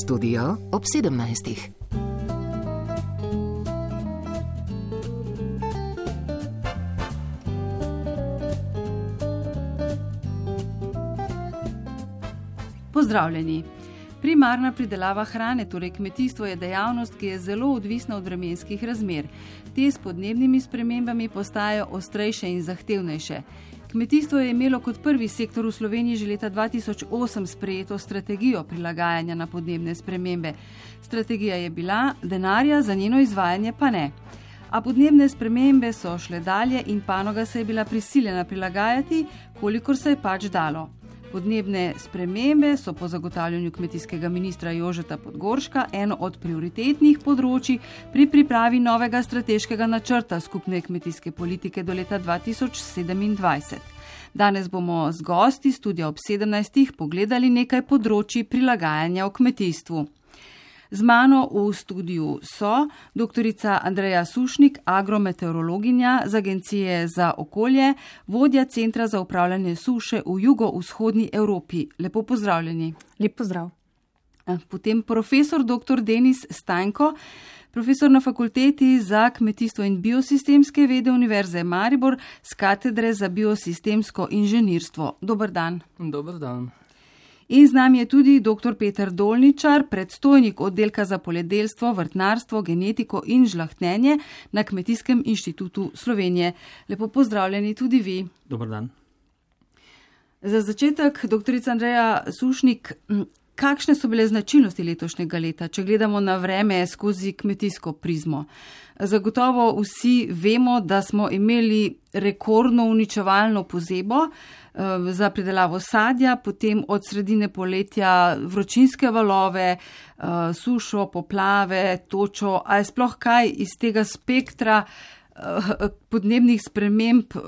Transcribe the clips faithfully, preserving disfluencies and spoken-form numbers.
Studio ob sedemnajstih. Pozdravljeni. Primarna pridelava hrane, torej kmetijstvo, je dejavnost, ki je zelo odvisna od vremenskih razmer. Te s podnebnimi spremembami postajajo ostrejše in zahtevnejše. Kmetijstvo je imelo kot prvi sektor v Sloveniji že leta dva tisoč osem sprejeto strategijo prilagajanja na podnebne spremembe. Strategija je bila, denarja za njeno izvajanje pa ne. A podnebne spremembe so šle dalje in panoga se je bila prisiljena prilagajati, kolikor se je pač dalo. Podnebne spremembe so po zagotavljanju kmetijskega ministra Jožeta Podgorška eno od prioritetnih področij pri pripravi novega strateškega načrta skupne kmetijske politike do leta dva tisoč sedemindvajset. Danes bomo z gosti studia ob sedemnajstih pogledali nekaj področij prilagajanja v kmetijstvu. Z mano v studiu so doktorica Andreja Sušnik, agrometeorologinja z Agencije za okolje, vodja Centra za upravljanje suše v jugovzhodni Evropi. Lepo pozdravljeni. Lep pozdrav. Potem profesor doktor Denis Stanjko, profesor na Fakulteti za kmetijstvo in biosistemske vede Univerze Maribor z katedre za biosistemsko inženirstvo. Dober dan. Dober dan. In z nami je tudi doktor Peter Dolničar, predstojnik oddelka za poljedelstvo, vrtnarstvo, genetiko in žlahtnjenje na Kmetijskem inštitutu Slovenije. Lepo pozdravljeni tudi vi. Dober dan. Za začetek, doktorica Andreja Sušnik, kakšne so bile značilnosti letošnjega leta, če gledamo na vreme skozi kmetijsko prizmo? Zagotovo vsi vemo, da smo imeli rekordno uničevalno pozebo za pridelavo sadja, potem od sredine poletja vročinske valove, sušo, poplave, točo. A je sploh kaj iz tega spektra podnebnih sprememb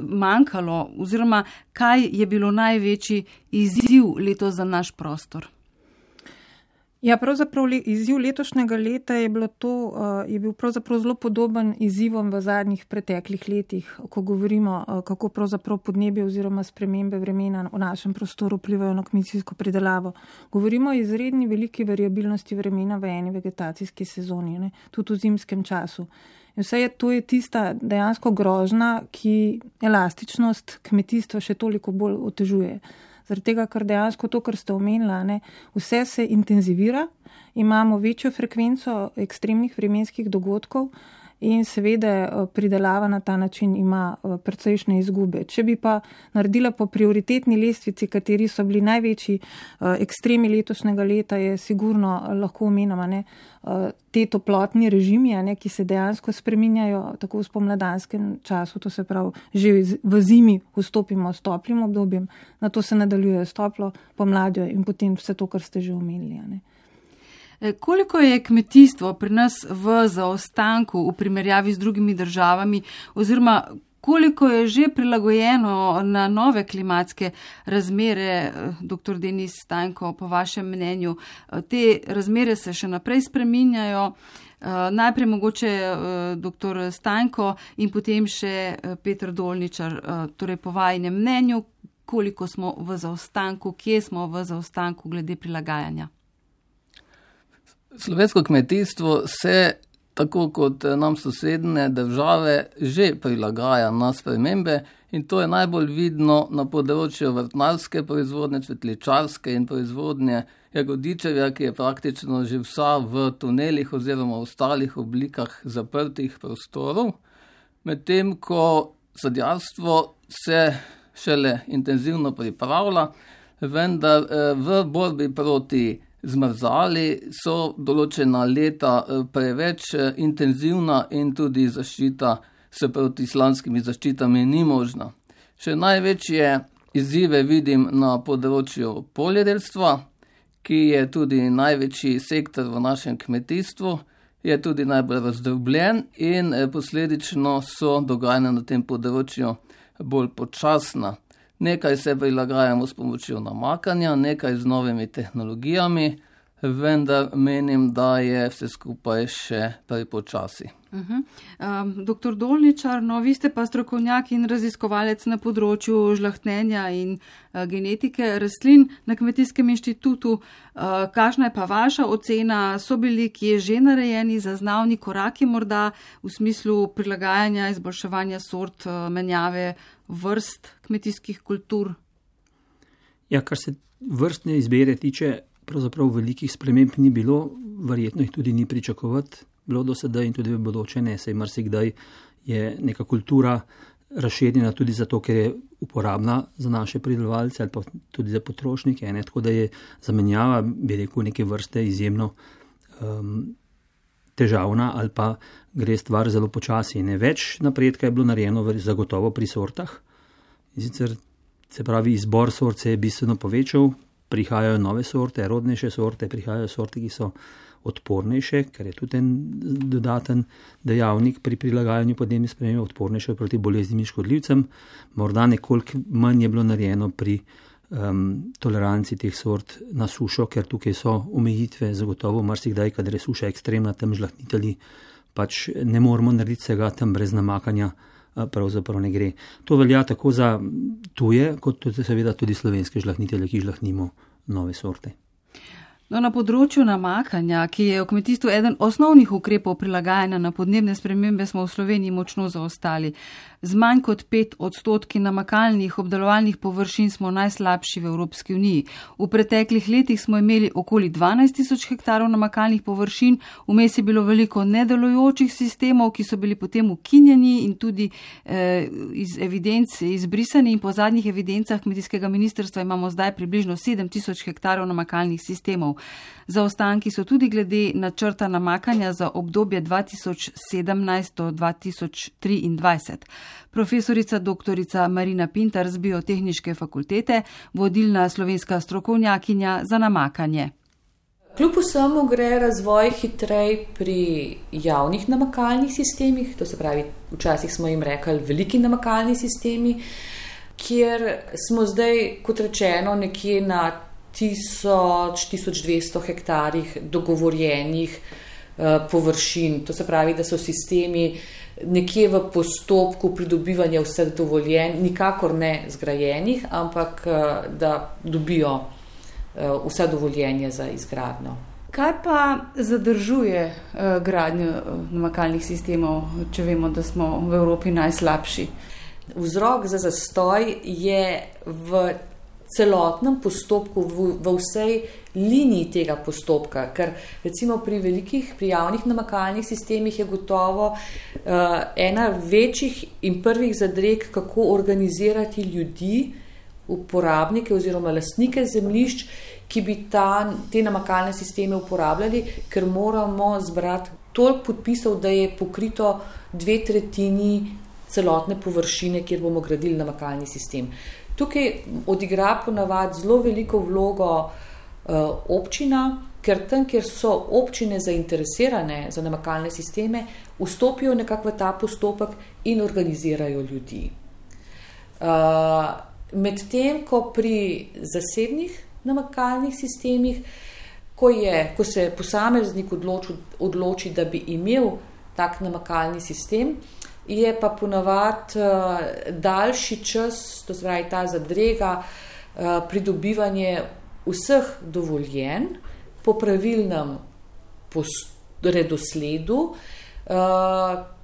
manjkalo, oziroma kaj je bilo največji izziv letos za naš prostor? Ja, pravzaprav izziv letošnjega leta je, bilo to, je bil pravzaprav zelo podoben izzivom v zadnjih preteklih letih, ko govorimo, kako pravzaprav podnebje oziroma spremembe vremena v našem prostoru vplivajo na kmetijsko pridelavo. Govorimo o izredni veliki variabilnosti vremena v eni vegetacijski sezoni, ne, tudi v zimskem času. In vse je, to je tista dejansko grožnja, ki elastičnost kmetijstva še toliko bolj otežuje. Zaradi tega, ker dejansko to, kar ste omenila, ne, vse se intenzivira, imamo večjo frekvenco ekstremnih vremenskih dogodkov in seveda pridelava na ta način ima precejšnje izgube. Če bi pa naredila po prioritetni lestvici, kateri so bili največji ekstremi letošnjega leta, je sigurno lahko omenjamo, ne, te toplotni režimi, ne, ki se dejansko spreminjajo tako v spomladanskem času, to se pravi, že v zimi vstopimo s toplim obdobjem, na to se nadaljuje s toplo pomladjo in potem vse to, kar ste že omenili. Ne. Koliko je kmetijstvo pri nas v zaostanku v primerjavi z drugimi državami, oziroma koliko je že prilagojeno na nove klimatske razmere, doktor Denis Stanjko, po vašem mnenju? Te razmere se še naprej spreminjajo. Najprej mogoče doktor Stanjko in potem še Peter Dolničar, torej po vajinem mnenju, koliko smo v zaostanku, kje smo v zaostanku glede prilagajanja? Slovensko kmetijstvo se, tako kot nam sosednje države, že prilagaja na spremembe in to je najbolj vidno na področju vrtnarske proizvodnje, cvetličarske in proizvodnje jagodičevja, ki je praktično že vsa v tunelih oziroma v ostalih oblikah zaprtih prostorov, medtem ko sadjarstvo se šele intenzivno pripravlja, vendar v borbi proti zmrzali so določena leta preveč intenzivna in tudi zaščita s protislanskimi zaščitami ni možna. Še največje izzive vidim na področju poljedelstva, ki je tudi največji sektor v našem kmetijstvu, je tudi najbolj razdrobljen in posledično so dogajanja na tem področju bolj počasna. Nekaj se prilagajamo s pomočjo namakanja, nekaj z novimi tehnologijami, vendar menim, da je vse skupaj še prepočasi. Uh-huh. Um, doktor Dolničar, no, vi ste pa strokovnjak in raziskovalec na področju žlahtnenja in uh, genetike rastlin na Kmetijskem inštitutu. Uh, kakšna je pa vaša ocena? So bili kje že narejeni zaznavni koraki morda v smislu prilagajanja, izboljševanja sort, uh, menjave vrst kmetijskih kultur? Ja, kar se vrstne izbire tiče, pravzaprav velikih sprememb ni bilo, verjetno jih tudi ni pričakovati. Bilo do sedaj in tudi v bodoče ne, saj marsikdaj je neka kultura razširjena tudi zato, ker je uporabna za naše pridelovalce ali pa tudi za potrošnike, ne? Tako da je zamenjava, bi rekel, neke vrste izjemno um, težavna ali pa gre stvar zelo počasi. Ne? Več napredka je bilo narejeno zagotovo pri sortah, in sicer se pravi izbor sort se je bistveno povečal, prihajajo nove sorte, rodnejše sorte, prihajajo sorte, ki so odpornejše, ker je tudi en dodaten dejavnik pri prilagajanju podnebnim spremembam, odpornejše proti boleznim in škodljivcem. Morda nekoliko manj je bilo narejeno pri um, toleranci teh sort na sušo, ker tukaj so omejitve, zagotovo marsikdaj, kadar je suša ekstremna, tam žlahtnitelji pač ne moramo narediti vsega, tam brez namakanja pravzaprav ne gre. To velja tako za tuje, kot tudi seveda tudi slovenske žlahtnitelje, ki žlahtnimo nove sorte. No, na področju namakanja, ki je v kmetijstvu eden osnovnih ukrepov prilagajanja na podnebne spremembe, smo v Sloveniji močno zaostali. Z manj kot pet odstotki namakalnih obdelovalnih površin smo najslabši v Evropski uniji. V preteklih letih smo imeli okoli dvanajst tisoč hektarov namakalnih površin, vmes je bilo veliko nedelujočih sistemov, ki so bili potem ukinjeni in tudi eh, iz evidenc izbrisani, in po zadnjih evidencah kmetijskega ministrstva imamo zdaj približno sedem tisoč hektarov namakalnih sistemov. Zaostanki so tudi glede načrta namakanja za obdobje dva tisoč sedemnajst do dva tisoč triindvajset. Profesorica doktorica Marina Pintar z Biotehniške fakultete, vodilna slovenska strokovnjakinja za namakanje. Kljub vsemu gre razvoj hitrej pri javnih namakalnih sistemih, to se pravi, včasih smo jim rekli veliki namakalni sistemi, kjer smo zdaj, kot rečeno, nekje na tisoč, tisoč dvesto hektarih dogovorjenih uh, površin. To se pravi, da so sistemi nekje v postopku pridobivanja vseh dovoljenj, nikakor ne zgrajenih, ampak uh, da dobijo uh, vsa dovoljenja za izgradnjo. Kaj pa zadržuje uh, gradnjo uh, namakalnih sistemov, če vemo, da smo v Evropi najslabši? Vzrok za zastoj je v celotnem postopku, v, v vsej liniji tega postopka, ker recimo pri velikih, pri javnih namakalnih sistemih je gotovo uh, ena večjih in prvih zadreg, kako organizirati ljudi, uporabnike oziroma lastnike zemljišč, ki bi ta, te namakalne sisteme uporabljali, ker moramo zbrati toliko podpisov, da je pokrito dve tretjini celotne površine, kjer bomo gradili namakalni sistem. Tukaj odigra ponavadi zelo veliko vlogo uh, občina, ker tam, kjer so občine zainteresirane za namakalne sisteme, vstopijo nekako v ta postopek in organizirajo ljudi. Uh, Medtem, ko pri zasebnih namakalnih sistemih, ko, je, ko se posameznik odloči, odloči, da bi imel tak namakalni sistem, je pa ponavadi uh, daljši čas, to se pravi ta zadrega, uh, pridobivanje vseh dovoljenj po pravilnem redosledu, uh,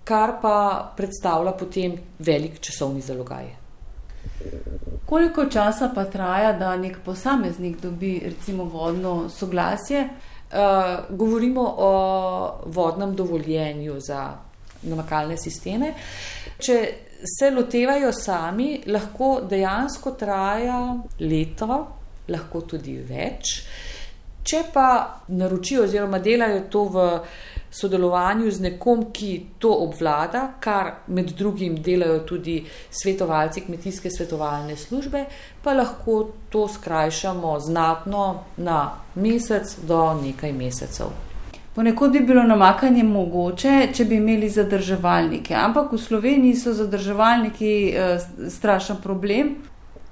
kar pa predstavlja potem velik časovni zalogaj. Koliko časa pa traja, da nek posameznik dobi recimo vodno soglasje? Uh, govorimo o vodnem dovoljenju za namakalne sisteme. Če se lotevajo sami, lahko dejansko traja leto, lahko tudi več. Če pa naročijo oziroma delajo to v sodelovanju z nekom, ki to obvlada, kar med drugim delajo tudi svetovalci kmetijske svetovalne službe, pa lahko to skrajšamo znatno na mesec do nekaj mesecev. Ponekod bi bilo namakanje mogoče, če bi imeli zadrževalnike, ampak v Sloveniji so zadrževalniki eh, strašen problem.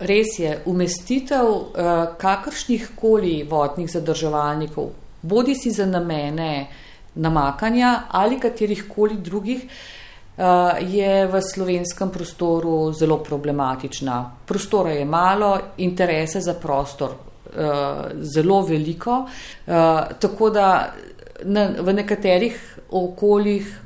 Res je, umestitev eh, kakršnih koli vodnih zadrževalnikov bodi si za namene namakanja ali katerih koli drugih, je v slovenskem prostoru zelo problematična. Prostora je malo, interese za prostor zelo veliko, tako da v nekaterih okoljih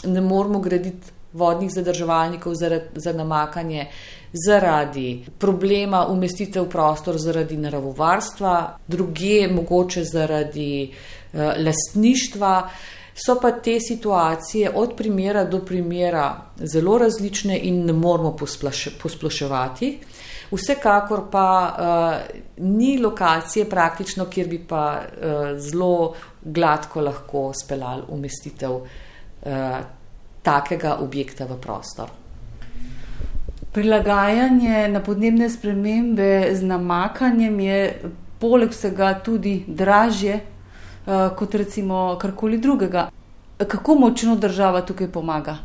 ne moramo graditi vodnih zadrževalnikov za namakanje zaradi problema umestitve v prostor zaradi naravovarstva, drugje mogoče zaradi lastništva. So pa te situacije od primera do primera zelo različne in ne moramo posploševati. Vsekakor pa uh, ni lokacije praktično, kjer bi pa uh, zelo gladko lahko speljali umestitev uh, takega objekta v prostor. Prilagajanje na podnebne spremembe z namakanjem je poleg vsega tudi dražje uh, kot recimo karkoli drugega. Kako močno država tukaj pomaga?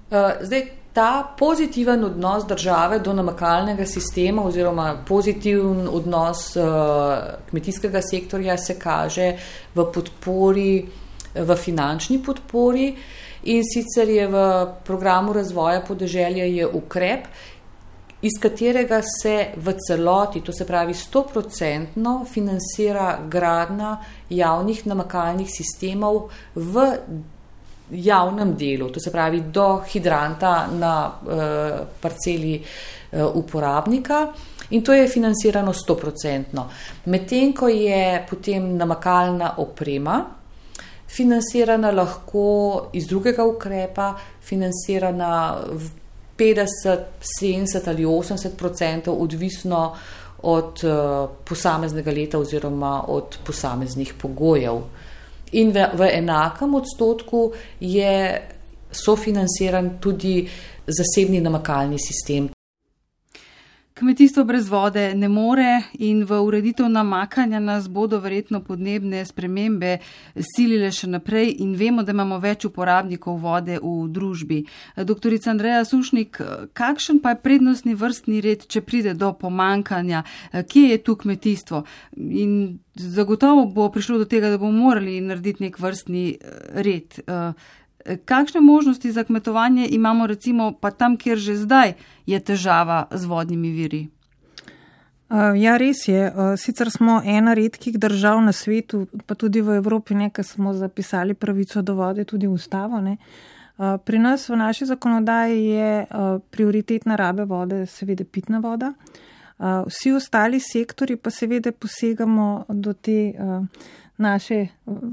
Uh, zdaj, ta pozitiven odnos države do namakalnega sistema oziroma pozitiven odnos uh, kmetijskega sektorja se kaže v podpori, v finančni podpori. In sicer je v programu razvoja podeželja je ukrep, iz katerega se v celoti, to se pravi sto procentno, financira gradnja javnih namakalnih sistemov v javnem delu, to se pravi do hidranta na uh, parceli uh, uporabnika. In to je financirano sto procentno. Medtem ko je potem namakalna oprema financirana lahko iz drugega ukrepa, financirana v petdeset, sedemdeset ali osemdeset procentov, odvisno od uh, posameznega leta oziroma od posameznih pogojev. In v, v enakem odstotku je sofinanciran tudi zasebni namakalni sistem. Kmetijstvo brez vode ne more in v ureditev namakanja nas bodo verjetno podnebne spremembe silile še naprej in vemo, da imamo več uporabnikov vode v družbi. Doktorica Andreja Sušnik, kakšen pa je prednostni vrstni red, če pride do pomankanja? Kje je tu kmetijstvo? In zagotovo bo prišlo do tega, da bomo morali narediti nek vrstni red. Kakšne možnosti za kmetovanje imamo recimo pa tam, kjer že zdaj je težava z vodnimi viri? Ja, res je. Sicer smo ena redkih držav na svetu, pa tudi v Evropi, nekaj smo zapisali pravico do vode, tudi v ustavo. Ne. Pri nas v naši zakonodaji je prioritetna rabe vode seveda pitna voda. Vsi ostali sektori pa seveda posegamo do te naše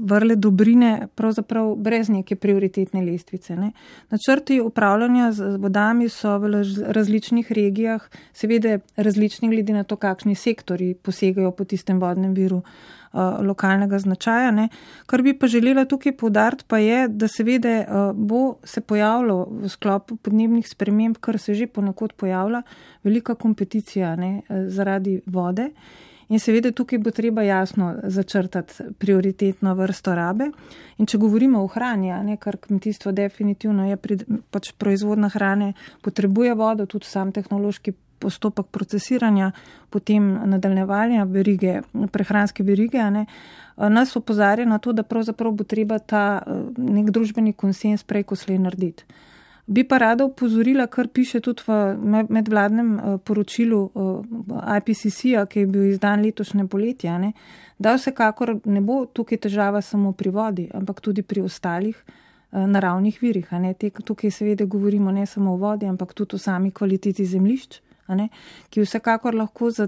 vrle dobrine pravzaprav brez neke prioritetne lestvice. Ne. Načrti upravljanja z vodami so v različnih regijah, seveda različni glede na to, kakšni sektori posegajo po tistem vodnem viru uh, lokalnega značaja. Ne. Kar bi pa želela tukaj poudariti pa je, da seveda uh, bo se pojavilo v sklopu podnebnih sprememb, kar se že ponekod pojavlja, velika kompeticija ne, zaradi vode. In seveda tukaj bo treba jasno začrtati prioritetno vrsto rabe. In če govorimo o hrani, ne, kar kmetijstvo definitivno je, pač proizvodna hrane potrebuje vodo, tudi sam tehnološki postopek procesiranja, potem nadaljevanja verige, prehranske verige, ne, nas opozarja na to, da pravzaprav bo treba ta nek družbeni konsens prej ko slej narediti. Bi pa rada upozorila, kar piše tudi v medvladnem poročilu I P C C-a, ki je bil izdan letošnje poletje, ne, da vsekakor ne bo tukaj težava samo pri vodi, ampak tudi pri ostalih naravnih virih. Ne. Tukaj seveda govorimo ne samo o vodi, ampak tudi o sami kvaliteti zemljišč, ne, ki vsekakor lahko za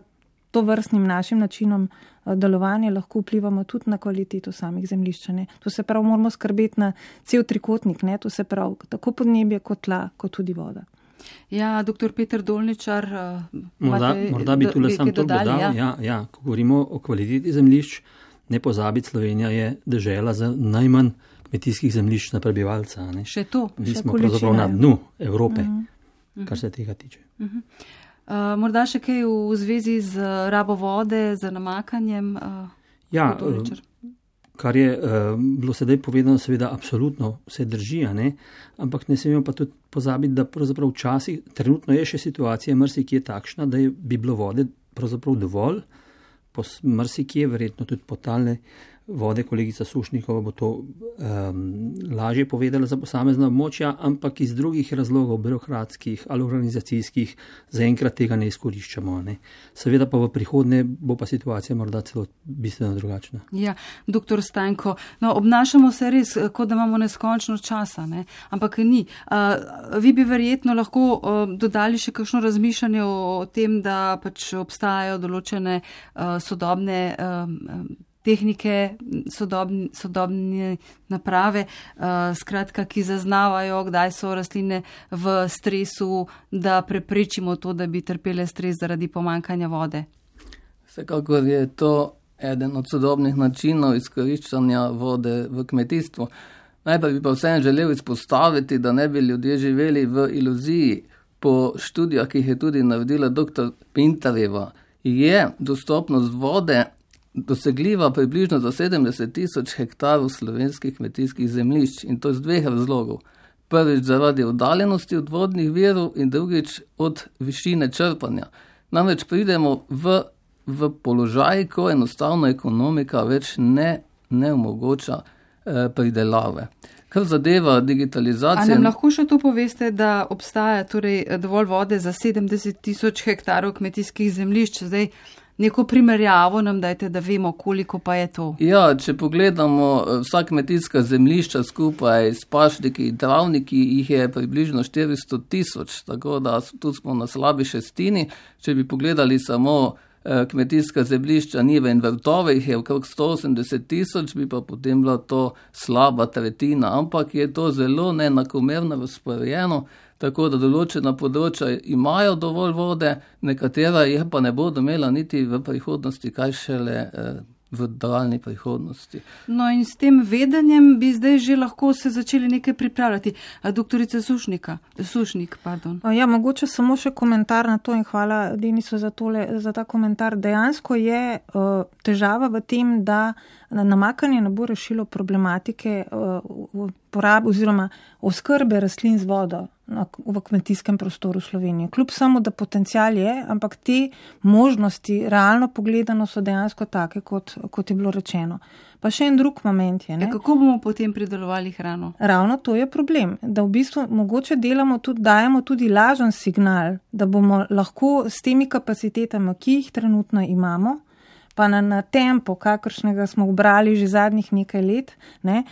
to vrstnim našim načinom delovanja lahko vplivamo tudi na kvaliteto samih zemljišč. Ne. To se pravi, moramo skrbeti na cel trikotnik, ne. To se pravi, tako podnebje kot tla, kot tudi voda. Ja, doktor Peter Dolničar, morda, morda bi tule sam to dodal. Ja. Ja, ja, ko govorimo o kvaliteti zemljišč, ne pozabiti, Slovenija je dežela za najmanj kmetijskih zemljišč na prebivalca. Ne. Še to. Mi smo pravzaprav na dnu Evrope, uh-huh. kar se tega tiče. Uh-huh. Uh, morda še kaj v zvezi z rabo vode, z namakanjem? Uh, ja, kar je uh, bilo sedaj povedano, seveda absolutno vse drži, ne? Ampak ne smemo pa tudi pozabiti, da pravzaprav včasih, trenutno je še situacija marsikje takšna, da je, bi bilo vode pravzaprav dovolj, marsikje, verjetno tudi podtalne vode, kolegica Sušnikova bo to um, lažje povedala za posamezna območja, ampak iz drugih razlogov, birokratskih ali organizacijskih, zaenkrat tega ne izkoriščamo. Ne. Seveda pa v prihodnje bo pa situacija morda celo bistveno drugačna. Ja, doktor Stanko, no, obnašamo se res, kot da imamo neskončno časa, ne? Ampak ni. Uh, vi bi verjetno lahko uh, dodali še kakšno razmišljanje o, o tem, da pač obstajajo določene uh, sodobne uh, tehnike, sodobne, sodobne naprave, uh, skratka, ki zaznavajo, kdaj so rastline v stresu, da preprečimo to, da bi trpele stres zaradi pomankanja vode. Vsekakor je to eden od sodobnih načinov izkoriščanja vode v kmetijstvu. Najprej bi pa vsem želel izpostaviti, da ne bi ljudje živeli v iluziji. Po študijah, ki jih je tudi naredila doktor Pintarjeva, je dostopnost vode dosegljiva približno za sedemdeset tisoč hektarov slovenskih kmetijskih zemljišč, in to iz dveh razlogov. Prvič zaradi oddaljenosti od vodnih virov in drugič od višine črpanja. Namreč pridemo v, v položaj, ko enostavno ekonomika več ne, ne omogoča eh, pridelave. Kar zadeva digitalizacijo. A nam lahko še to poveste, da obstaja torej dovolj vode za sedemdeset tisoč hektarov kmetijskih zemljišč? Zdaj, neko primerjavo nam dajte, da vemo, koliko pa je to. Ja, če pogledamo vsa kmetijska zemljišča skupaj s pašniki in travniki, jih je približno štiristo tisoč, tako da tu smo na slabi šestini. Če bi pogledali samo kmetijska zemljišča, njive in vrtove, jih je okrog sto osemdeset tisoč, bi pa potem bila to slaba tretjina, ampak je to zelo neenakomerno razporejeno, tako da določena področja imajo dovolj vode, nekatera jih pa ne bodo imela niti v prihodnosti, kaj šele eh, v daljni prihodnosti. No in s tem vedenjem bi zdaj že lahko se začeli nekaj pripravljati. Doktorica Sušnika, Sušnik, pardon. Ja, mogoče samo še komentar na to in hvala Denisu za, tole, za ta komentar. Dejansko je uh, težava v tem, da namakanje ne bo rešilo problematike uh, porabe oziroma oskrbe rastlin z vodo v kmetijskem prostoru Slovenije. Kljub samo, da potencial je, ampak te možnosti realno pogledano so dejansko take, kot, kot je bilo rečeno. Pa še en drug moment je. Ne? Ja, kako bomo potem pridelovali hrano? Ravno to je problem, da v bistvu mogoče delamo tudi, dajemo tudi lažen signal, da bomo lahko s temi kapacitetami, ki jih trenutno imamo, pa na, na tempo, kakršnega smo obrali že zadnjih nekaj let, ne,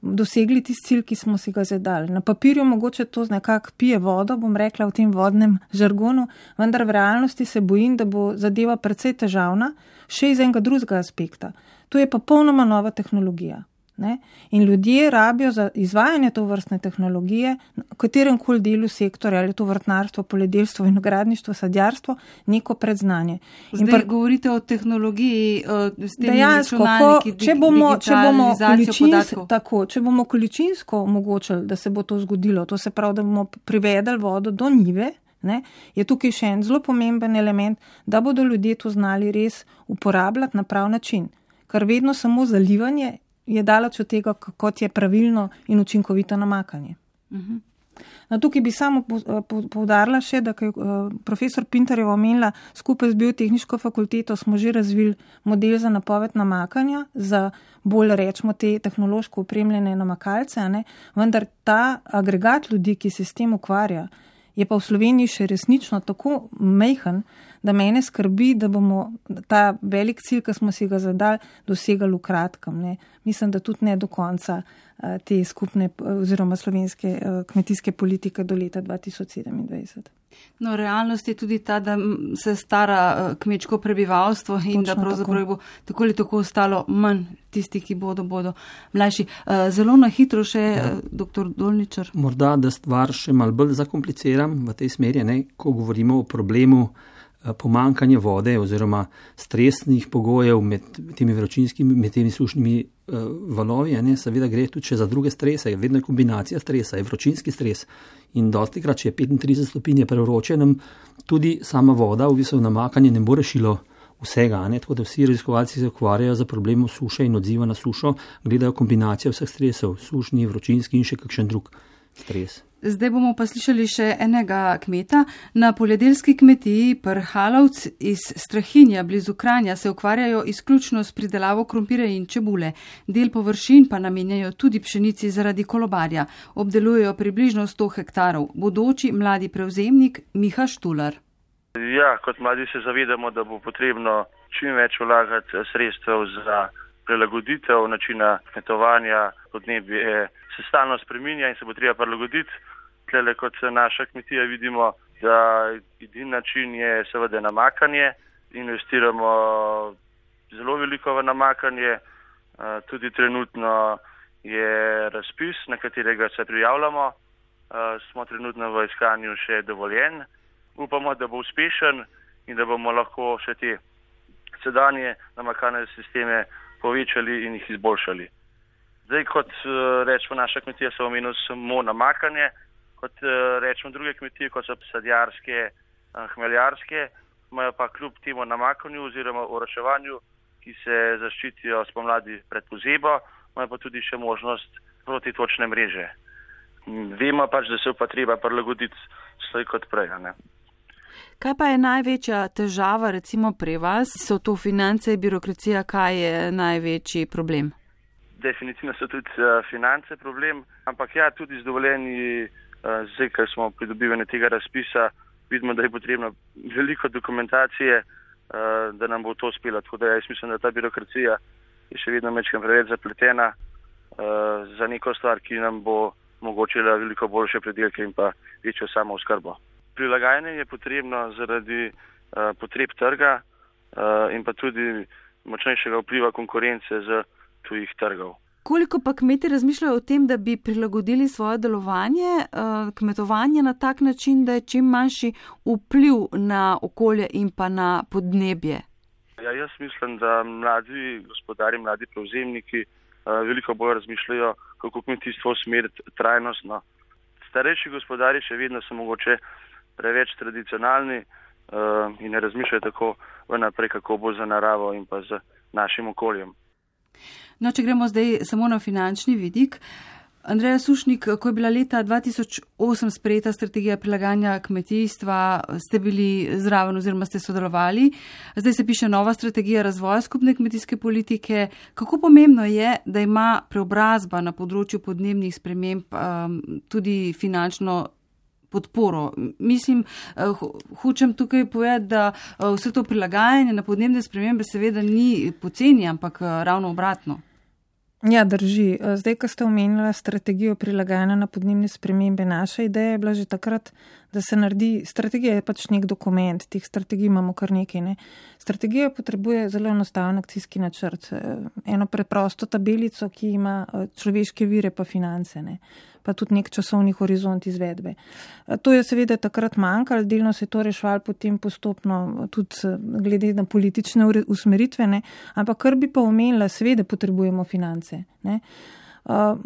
dosegli tisti cilj, ki smo si ga zadali. Na papirju mogoče to nekako pije vodo, bom rekla v tem vodnem žargonu, vendar v realnosti se bojim, da bo zadeva precej težavna, še iz enega drugega aspekta. To je pa popolnoma nova tehnologija. Ne? In ljudje rabijo za izvajanje to vrstne tehnologije, v katerem koli delu sektorja, ali to vrtnarstvo, poljedelstvo, vinogradništvo, sadjarstvo, neko predznanje. Zdaj pr... govorite o tehnologiji, s temi dejansko, računalniki, če bomo, če bomo količinsko, tako, če bomo količinsko omogočili, da se bo to zgodilo, to se pravi, da bomo privedali vodo do njive, ne, je tukaj še en zelo pomemben element, da bodo ljudje to znali res uporabljati na prav način. Kar vedno samo zalivanje je daleč od tega, kot je pravilno in učinkovito namakanje. Uh-huh. No, tukaj bi samo poudarila še, da je profesor Pintarjeva omenila, skupaj z biotehniško fakulteto smo že razvili model za napoved namakanja, za bolj rečemo te tehnološko opremljene namakalce, ne? Vendar ta agregat ljudi, ki se s tem ukvarja, je pa v Sloveniji še resnično tako majhen, da mene skrbi, da bomo ta velik cilj, ki smo si ga zadali, dosegali v kratkem. Ne. Mislim, da tudi ne do konca te skupne oziroma slovenske kmetijske politike do leta dva tisoč sedemindvajset. No, realnost je tudi ta, da se stara kmečko prebivalstvo in Točno da pravzaprav bo tako ali tako ostalo manj tisti, ki bodo, bodo mlajši. Zelo na hitro še, ja. Doktor Dolničar. Morda, da stvar še malo bolj zakompliciram v tej smeri, ne, ko govorimo o problemu pomankanje vode oziroma stresnih pogojev med temi vročinskimi, med temi sušnimi uh, valovi, ne, seveda gre tudi še za druge strese, vedno je kombinacija stresa, je vročinski stres in dostikrat, če je petintrideset stopinj prevroče, nam tudi sama voda v bistvu namakanje ne bo rešilo vsega, ne, tako da vsi raziskovalci se ukvarjajo za problemom suše in odziva na sušo, gledajo kombinacijo vseh stresov, sušni, vročinski in še kakšen drug stres. Zdaj bomo pa slišali še enega kmeta. Na poljedelski kmetiji Prhalovc iz Strahinja blizu Kranja se ukvarjajo izključno s pridelavo krompirja in čebule. Del površin pa namenjajo tudi pšenici zaradi kolobarja. Obdelujejo približno sto hektarov. Bodoči mladi prevzemnik Miha Štular. Ja, kot mladi se zavedamo, da bo potrebno čim več vlagati sredstev za prilagoditev načina kmetovanja. Podnebje se stalno spreminja in se bo treba prilagoditi. Tlele kot naša kmetija vidimo, da edini način je seveda namakanje. Investiramo zelo veliko v namakanje. Tudi trenutno je razpis, na katerega se prijavljamo. Smo trenutno v iskanju še dovoljen. Upamo, da bo uspešen in da bomo lahko še te sedanje namakalne sisteme povečali in jih izboljšali. Zdaj, kot rečemo, naša kmetija se omenila samo namakanje, kot rečemo druge kmetije, kot so sadjarske, hmeljarske, imajo pa kljub temu namakanju oziroma oroševanju, ki se zaščitijo spomladi pred pozebo, imajo pa tudi še možnost protitočne mreže. Vemo pač, da se pa treba prilagoditi slej kot prej, ne? Kaj pa je največja težava recimo pri vas? So to finance, birokracija, kaj je največji problem? Definitivno so tudi uh, finance problem, ampak ja, tudi z dovoljenji, uh, zdaj, ker smo pridobivali tega razpisa, vidimo, da je potrebno veliko dokumentacije, uh, da nam bo to uspelo. Tako da jaz mislim, da ta birokracija je še vedno mečkam preveč zapletena uh, za neko stvar, ki nam bo omogočila veliko boljše predelke in pa večjo samo oskrbo. Prilagajanje je potrebno zaradi uh, potreb trga uh, in pa tudi močnejšega vpliva konkurence z tujih trgov. Koliko pa kmeti razmišljajo o tem, da bi prilagodili svoje delovanje, uh, kmetovanje na tak način, da je čim manjši vpliv na okolje in pa na podnebje? Ja, jaz mislim, da mladi gospodari, mladi prevzemniki uh, veliko bolj razmišljajo, kako kmetijstvo usmeriti trajnostno. Starejši gospodari še vedno so mogoče preveč tradicionalni uh, in ne razmišljajo tako vnaprej, kako bo za naravo in pa z našim okoljem. No, če gremo zdaj samo na finančni vidik. Andreja Sušnik, ko je bila leta dva tisoč osem sprejeta strategija prilagajanja kmetijstva, ste bili zraven oziroma ste sodelovali. Zdaj se piše nova strategija razvoja skupne kmetijske politike. Kako pomembno je, da ima preobrazba na področju podnebnih sprememb um, tudi finančno podporo? Mislim, hočem tukaj povedati, da vse to prilagajanje na podnebne spremembe seveda ni poceni, ampak ravno obratno. Ja, drži. Zdaj, ko ste omenila strategijo prilagajanja na podnebne spremembe, naša ideja je bila že takrat, da se naredi, strategija je pač nek dokument, teh strategij imamo kar nekaj, ne. Strategija potrebuje zelo enostaven akcijski načrt, eno preprosto tabelico, ki ima človeške vire pa finance, ne, pa tudi nek časovni horizont izvedbe. To je seveda takrat manjkalo, delno se je to rešvalo potem postopno tudi glede na politične usmeritve, ne, ampak kar bi pa omenila, seveda potrebujemo finance, ne. Uh,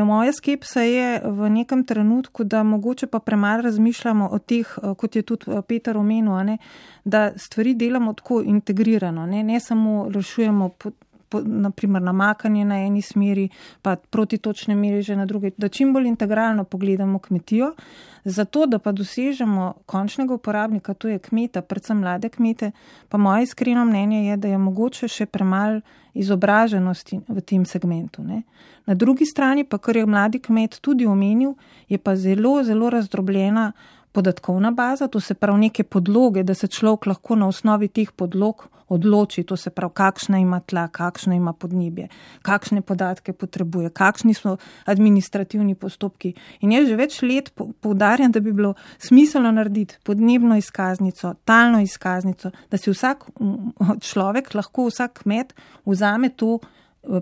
moja skepsa je v nekem trenutku, da mogoče pa premalo razmišljamo o teh, kot je tudi Peter omenil, ne, da stvari delamo tako integrirano, ne, ne samo rešujemo po, po, naprimer namakanje na eni smeri, pa protitočne mreže na druge, da čim bolj integralno pogledamo kmetijo, zato da pa dosežemo končnega uporabnika, to je kmeta, predvsem mlade kmete, pa moje iskreno mnenje je, da je mogoče še premalo izobraženosti v tem segmentu, ne. Na drugi strani pa, kar je mladi kmet tudi omenil, je pa zelo, zelo razdrobljena podatkovna baza, to se pravi neke podloge, da se človek lahko na osnovi teh podlog odloči, to se pravi, kakšna ima tla, kakšno ima podnebje, kakšne podatke potrebuje, kakšni so administrativni postopki. In jaz že več let poudarjam, da bi bilo smiselno narediti podnebno izkaznico, talno izkaznico, da si vsak človek, lahko vsak kmet vzame to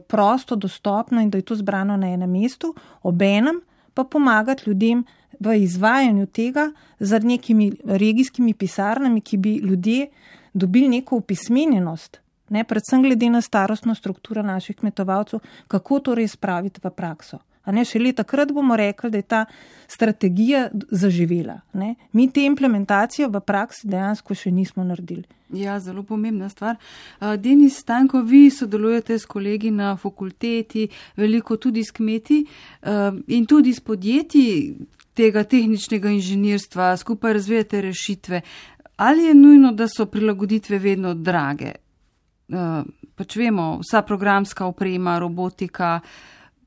prosto, dostopno in da je to zbrano na enem mestu, obenem pa pomagati ljudem v izvajanju tega z nekimi regijskimi pisarnami, ki bi ljudje dobili neko opismenjenost, ne, predvsem glede na starostno strukturo naših kmetovalcev, kako to res spraviti v prakso. A ne, šele takrat bomo rekli, da je ta strategija zaživela. Ne. Mi te implementacije v praksi dejansko še nismo naredili. Ja, zelo pomembna stvar. Denis Stanko, vi sodelujete s kolegi na fakulteti, veliko tudi s kmeti in tudi s podjetji tega tehničnega inženirstva, skupaj razvijate rešitve. Ali je nujno, da so prilagoditve vedno drage? Pač vemo, vsa programska oprema, robotika,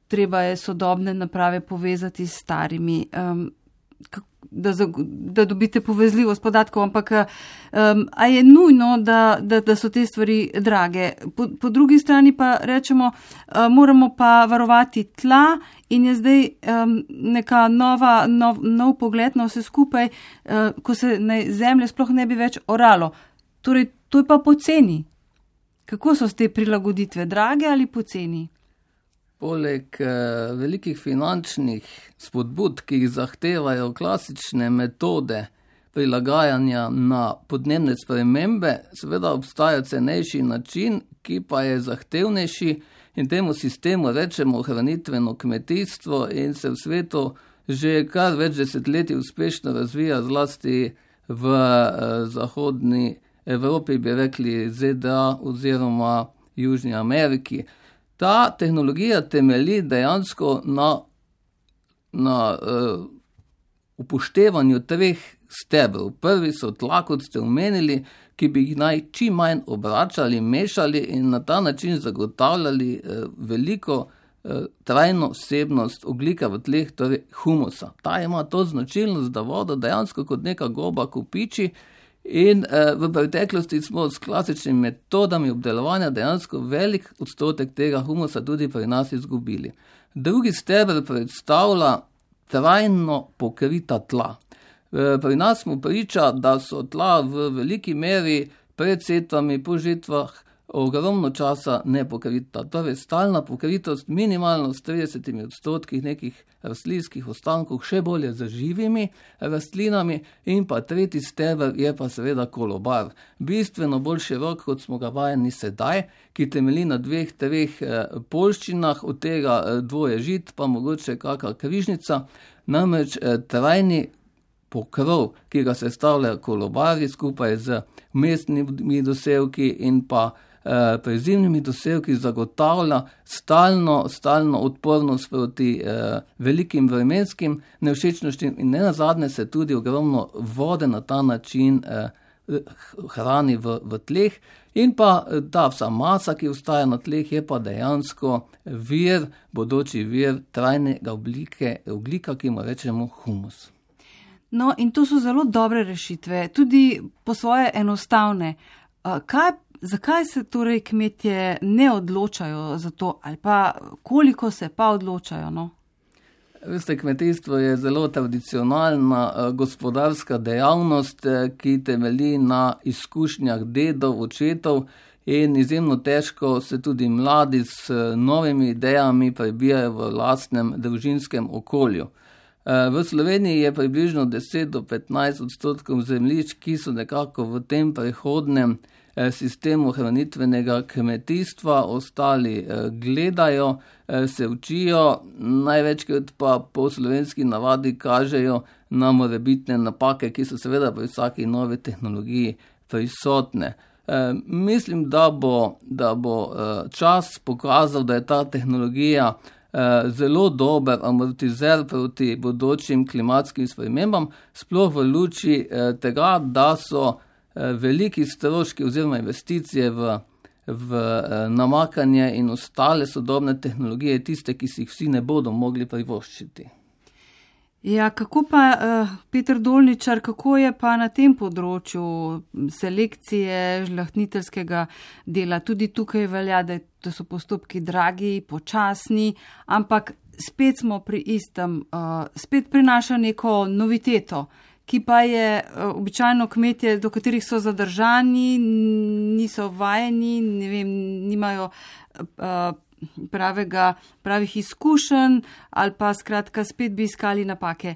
treba je sodobne naprave povezati s starimi, um, da, da dobite povezljivost podatkov, ampak um, a je nujno, da, da, da so te stvari drage. Po, po drugi strani pa rečemo, uh, moramo pa varovati tla in je zdaj um, neka nova, nov, nov pogled na vse skupaj, uh, ko se ne, zemlje sploh ne bi več oralo. Torej, to je pa poceni. Kako so te prilagoditve, drage ali poceni? Poleg eh, velikih finančnih spodbud, ki jih zahtevajo klasične metode prilagajanja na podnebne spremembe, seveda obstaja cenejši način, ki pa je zahtevnejši in temu sistemu rečemo ohranitveno kmetijstvo in se v svetu že kar več desetletij uspešno razvija, zlasti v eh, zahodni Evropi, bi rekli Z D A oziroma Južni Ameriki. Ta tehnologija temelji dejansko na, na uh, upoštevanju treh stebrov. Prvi so tla, kot ste omenili, ki bi jih naj čim manj obračali, mešali in na ta način zagotavljali uh, veliko uh, trajno vsebnost ogljika v tleh, torej humusa. Ta ima to značilnost, da voda dejansko kot neka goba kopiči. In eh, v preteklosti smo s klasičnimi metodami obdelovanja dejansko velik odstotek tega humusa tudi pri nas izgubili. Drugi steber predstavlja trajno pokrita tla. E, pri nas smo priča, da so tla v veliki meri pred setvami, po žitvah ogromno časa nepokrita. Torej stalna pokritost minimalno s tridesetimi odstotki nekih rastlinskih ostankov, še bolje z živimi rastlinami in pa tretji steber je pa seveda kolobar. Bistveno bolj širok, kot smo ga vajeni sedaj, ki temelji na dveh, treh poljščinah, od tega dvoje žit, pa mogoče kakšna križnica, namreč trajni pokrov, ki ga sestavljajo kolobari skupaj z mestnimi dosevki in pa prezimnimi dosevki zagotavlja stalno, stalno odpornost proti eh, velikim vremenskim nevšečnostim in ne nazadnje se tudi ogromno vode na ta način eh, hrani v, v tleh in pa ta vsa masa, ki ostaja na tleh, je pa dejansko vir, bodoči vir trajnega oblike, oglika, ki mu rečemo humus. No in to so zelo dobre rešitve, tudi po svoje enostavne. Kaj Zakaj se torej kmetje ne odločajo za to ali pa koliko se pa odločajo? No? Veste, kmetijstvo je zelo tradicionalna gospodarska dejavnost, ki temelji na izkušnjah dedov, očetov in izjemno težko se tudi mladi s novimi idejami prebijajo v lastnem družinskem okolju. V Sloveniji je približno deset do petnajst odstotkov zemljišč, ki so nekako v tem prehodnem sistemu hranitvenega kmetijstva, ostali gledajo, se učijo, največkrat pa po slovenski navadi kažejo na morebitne napake, ki so seveda pri vsaki novi tehnologiji prisotne. Mislim, da bo, da bo čas pokazal, da je ta tehnologija zelo dober amortizer proti bodočim klimatskim spremembam, sploh v luči tega, da so veliki stroški oziroma investicije v, v namakanje in ostale sodobne tehnologije tiste, ki si jih vsi ne bodo mogli privoščiti. Ja, kako pa, Peter Dolničar, kako je pa na tem področju selekcije žlahtniteljskega dela? Tudi tukaj velja, da, da so postopki dragi, počasni, ampak spet smo pri istem, spet prinaša neko noviteto, ki pa je običajno kmetje, do katerih so zadržani, niso vajeni, ne vem, nimajo pravega, pravih izkušenj ali pa skratka spet bi iskali napake.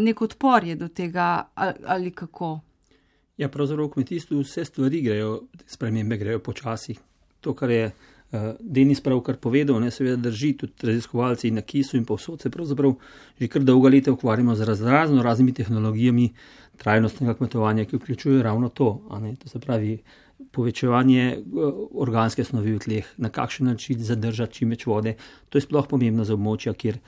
Nek odpor je do tega ali kako? Ja, pravzaprav v kmetijstvu vse stvari grejo, spremembe grejo počasi. To, kar je Denis pravkar povedal, ne, seveda drži, tudi raziskovalci na Kisu in povsod se pravzaprav že kar dolga leta ukvarjamo z razno raznimi tehnologijami trajnostnega kmetovanja, ki vključujejo ravno to, a ne, to se pravi povečevanje organske snovi v tleh, na kakšen način zadržati čim več vode. To je sploh pomembno za območja, kjer,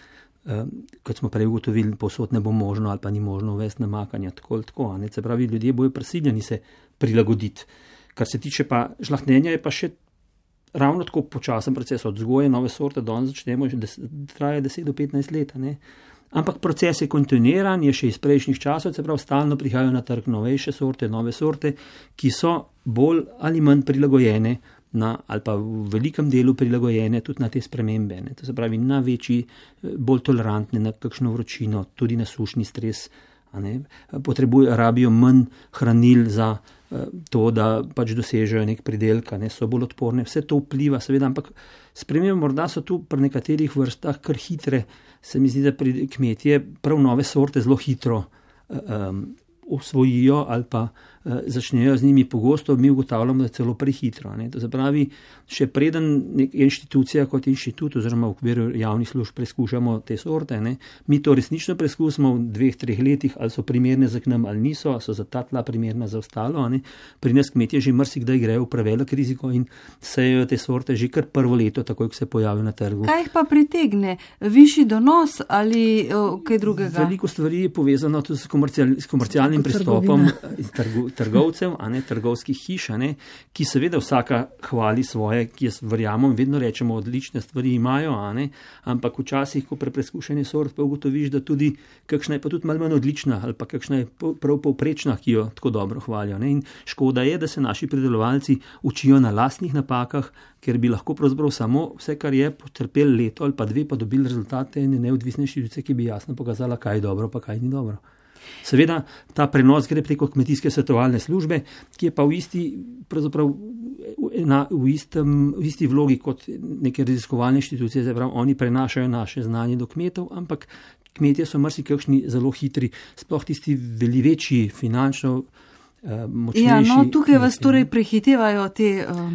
kot smo prej ugotovili, povsod ne bo možno ali pa ni možno uvesti namakanja. Tako, tako, a ne, se pravi, ljudje bojo prisiljeni se prilagoditi. Kar se tiče pa žlahtnjenja, je pa še ravno tako počasen proces od vzgoje nove sorte, danes začnemo, že traja deset do petnajst let, ne. Ampak proces je kontinuiran, je še iz prejšnjih časov, se pravi, stalno prihajajo na trg novejše sorte, nove sorte, ki so bolj ali manj prilagojene na, ali pa v velikem delu prilagojene tudi na te spremembe. Ne. To se pravi, na večji, bolj tolerantne na kakšno vročino, tudi na sušni stres. A ne. Potrebujo, rabijo manj hranil za to, da pač dosežejo nek pridelek, ne, so bolj odporne. Vse to vpliva, seveda, ampak spremembe morda so tu pri nekaterih vrstah kar hitre. Se mi zdi, da pri kmetje prav nove sorte zelo hitro um, usvojijo ali pa uh, začnejo z njimi pogosto, mi ugotavljamo, da celo prehitro. Ne. To se pravi, še preden nek inštitucija kot inštitut oziroma v okviru javnih služb preskušamo te sorte, ne, mi to resnično preskusimo v dveh, treh letih, ali so primerne za k nam ali niso, ali so za ta tla primerna za ostalo. Ne. Pri nas kmetje že marsikdaj grejo v prevelik riziko in sejejo te sorte že kar prvo leto, takoj, ko se pojavijo na trgu. Kaj jih pa pritegne? Višji donos ali o, kaj drugega? Veliko stvari je povezano tudi s, komercial, s komercialnim pristopom trgu, trgovcev, a ne, trgovskih hiš, a ne, ki seveda vsaka hvali svoje, ki jaz verjamem, vedno rečemo, odlične stvari imajo, a ne, ampak včasih, ko pri preskušanju sort pa ugotoviš, da tudi kakšna je pa tudi malo manj odlična ali pa kakšna je prav povprečna, ki jo tako dobro hvalijo. Ne. In škoda je, da se naši pridelovalci učijo na lastnih napakah, ker bi lahko pravzaprav samo vse, kar je, potrpeli leto ali pa dve, pa dobili rezultate ene neodvisne inštitucije, ki bi jasno pokazala, kaj je dobro, pa kaj ni dobro. Seveda, ta prenos gre preko kmetijske svetovalne službe, ki je pa v isti, pravzaprav na, v, istem, v isti vlogi kot neke raziskovalne inštitucije, zaprav oni prenašajo naše znanje do kmetov, ampak kmetje so marsikakšni zelo hitri, sploh tisti veli večji finančno močnejši. Ja, no, tukaj vas torej prehitevajo te uh,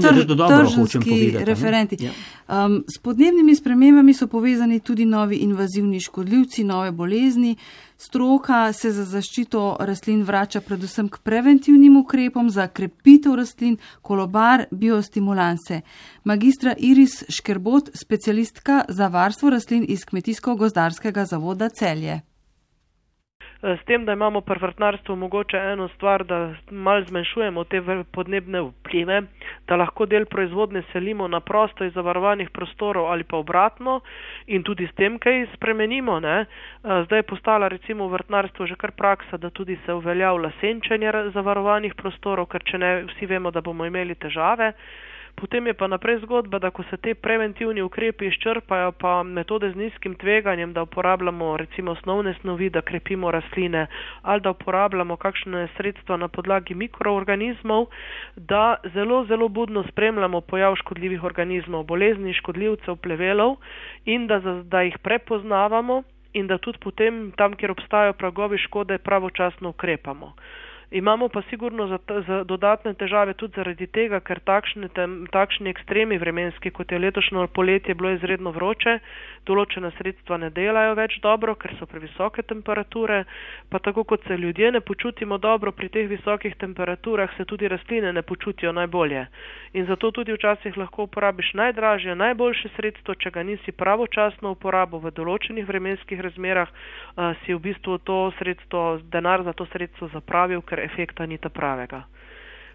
tr, tržanski referenti. Ja. Um, s podnebnimi spremembami so povezani tudi novi invazivni škodljivci, nove bolezni. Stroka se za zaščito rastlin vrača predvsem k preventivnim ukrepom za krepitev rastlin, kolobar, biostimulanse. Magistra Iris Škerbot, specialistka za varstvo rastlin iz Kmetijsko-gozdarskega zavoda Celje. S tem, da imamo pri vrtnarstvu mogoče eno stvar, da malo zmanjšujemo te podnebne vplive, da lahko del proizvodnje selimo na prosto iz zavarovanih prostorov ali pa obratno in tudi s tem kaj spremenimo. Ne? Zdaj je postala recimo v vrtnarstvu že kar praksa, da tudi se uveljavlja senčenje zavarovanih prostorov, ker če ne, vsi vemo, da bomo imeli težave. Potem je pa naprej zgodba, da ko se te preventivni ukrepi izčrpajo, pa metode z nizkim tveganjem, da uporabljamo recimo osnovne snovi, da krepimo rastline, ali da uporabljamo kakšne sredstva na podlagi mikroorganizmov, da zelo, zelo budno spremljamo pojav škodljivih organizmov, bolezni, škodljivcev, plevelov in da, da jih prepoznavamo in da tudi potem tam, kjer obstajajo pragovi škode, pravočasno ukrepamo. Imamo pa sigurno za, za dodatne težave tudi zaradi tega, ker takšne, tem, takšni ekstremi vremenski, kot je letošnjo poletje bilo izredno vroče, določena sredstva ne delajo več dobro, ker so previsoke temperature, pa tako kot se ljudje ne počutimo dobro pri teh visokih temperaturah, se tudi rastline ne počutijo najbolje. In zato tudi včasih lahko uporabiš najdražje, najboljše sredstvo, če ga nisi pravočasno uporabil v določenih vremenskih razmerah, uh, si v bistvu to sredstvo, denar za to sredstvo zapravil, ker efekta ni ta pravega.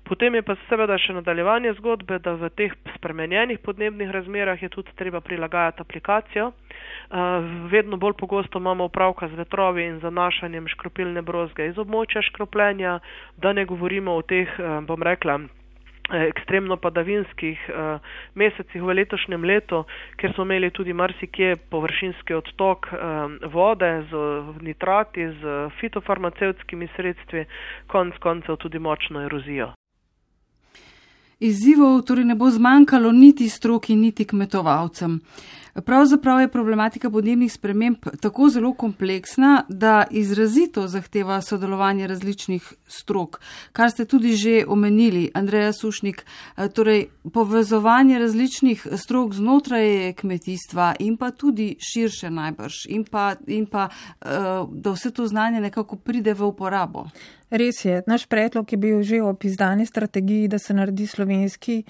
Potem je pa seveda še nadaljevanje zgodbe, da v teh spremenjenih podnebnih razmerah je tudi treba prilagajati aplikacijo. Vedno bolj pogosto imamo opravka z vetrovi in zanašanjem škropilne brozge iz območja škropljenja, da ne govorimo o teh, bom rekla, ekstremno padavinskih uh, mesecih v letošnjem letu, ker smo imeli tudi marsikje površinski odtok um, vode z nitrati, z fitofarmacevtskimi sredstvi, konc koncev tudi močno erozijo. Izzivov torej ne bo zmanjkalo niti stroki, niti kmetovalcem. Pravzaprav je problematika podnebnih sprememb tako zelo kompleksna, da izrazito zahteva sodelovanje različnih strok, kar ste tudi že omenili, Andreja Sušnik, torej povezovanje različnih strok znotraj kmetijstva in pa tudi širše najbrž in pa, in pa da vse to znanje nekako pride v uporabo. Res je, naš predlog je bil že ob izdani strategiji, da se naredi slovenski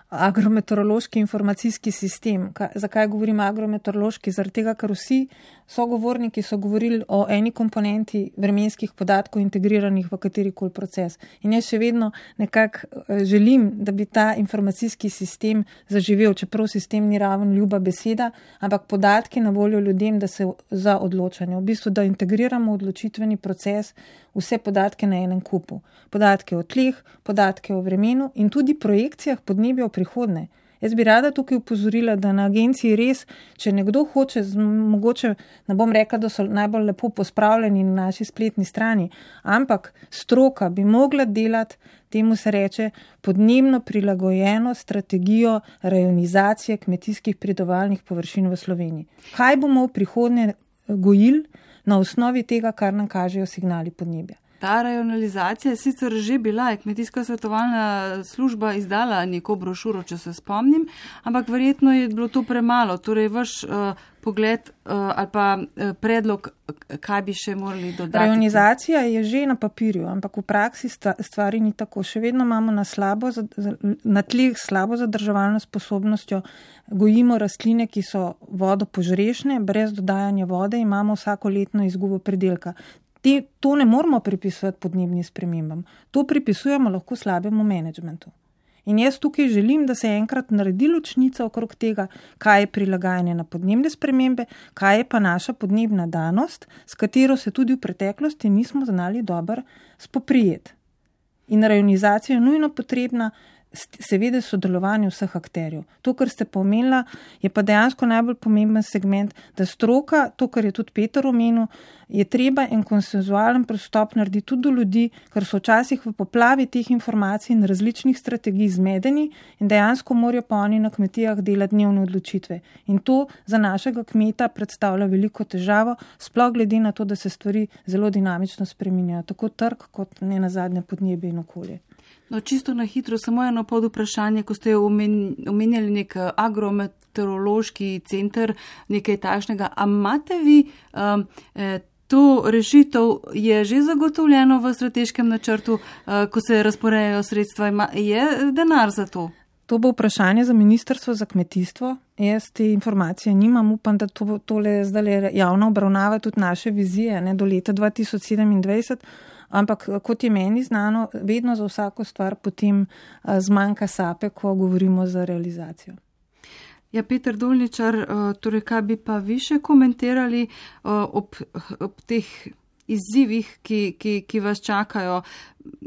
agrometeorološki informacijski sistem. Zakaj govorim agrometeorološki? Zaradi tega, ker vsi sogovorniki so govorili o eni komponenti vremenskih podatkov integriranih v katerikoli proces. In jaz še vedno nekako želim, da bi ta informacijski sistem zaživel, čeprav sistem ni raven ljuba beseda, ampak podatki na voljo ljudem, da se za odločanje. V bistvu, da integriramo odločitveni proces, vse podatke na enem kupu. Podatke o tleh, podatke o vremenu in tudi projekcijah podnebja v prihodnje. Jaz bi rada tukaj upozorila, da na agenciji res, če nekdo hoče, mogoče ne bom rekla, da so najbolj lepo pospravljeni na naši spletni strani, ampak stroka bi mogla delati, temu se reče, podnebno prilagojeno strategijo rajonizacije kmetijskih pridelovalnih površin v Sloveniji. Kaj bomo v prihodnje gojili na osnovi tega, kar nam kažejo signali podnebja? Ta rajonalizacija je sicer že bila, je kmetijska svetovalna služba izdala neko brošuro, če se spomnim, ampak verjetno je bilo to premalo. Torej, vaš uh, pogled uh, ali pa uh, predlog, kaj bi še morali dodati? Rajonizacija je že na papirju, ampak v praksi stvari ni tako. Še vedno imamo na, slabo, na tleh slabo zadrževalno sposobnostjo, gojimo rastline, ki so vodopožrešne, brez dodajanja vode, imamo vsako letno izgubo pridelka. Te, to ne moramo pripisovati podnebnim spremembam. To pripisujemo lahko slabemu menedžmentu. In jaz tukaj želim, da se enkrat naredi ločnica okrog tega, kaj je prilagajanje na podnebne spremembe, kaj je pa naša podnebna danost, s katero se tudi v preteklosti nismo znali dobro spoprijeti. In rajonizacija je nujno potrebna, seveda sodelovanje vseh akterjev. To, kar ste pomenila, je pa dejansko najbolj pomemben segment, da stroka, to, kar je tudi Peter omenil, je treba en konsenzualen pristop narediti tudi do ljudi, ker so včasih v poplavi teh informacij in različnih strategij zmedeni in dejansko morajo pa oni na kmetijah delati dnevne odločitve. In to za našega kmeta predstavlja veliko težavo, sploh glede na to, da se stvari zelo dinamično spreminjajo, tako trg kot ne nazadnje podnebje in okolje. No, čisto na hitro, samo eno pod vprašanje, ko ste omenjali nek agrometeorološki center, nekaj takšnega. A imate vi um, to rešitev, je že zagotovljeno v strateškem načrtu, uh, ko se razporejajo sredstva, ima, je denar za to? To bo vprašanje za Ministrstvo za kmetijstvo. Jaz te informacije nimam, upam, da to, tole zdaj javno obravnava tudi naše vizije, ne, do leta dva tisoč sedemindvajset. Ampak, kot je meni znano, vedno za vsako stvar potem zmanjka sape, ko govorimo za realizacijo. Ja, Peter Dolničar, torej kaj bi pa vi še komentirali ob, ob teh izzivih, ki, ki, ki vas čakajo?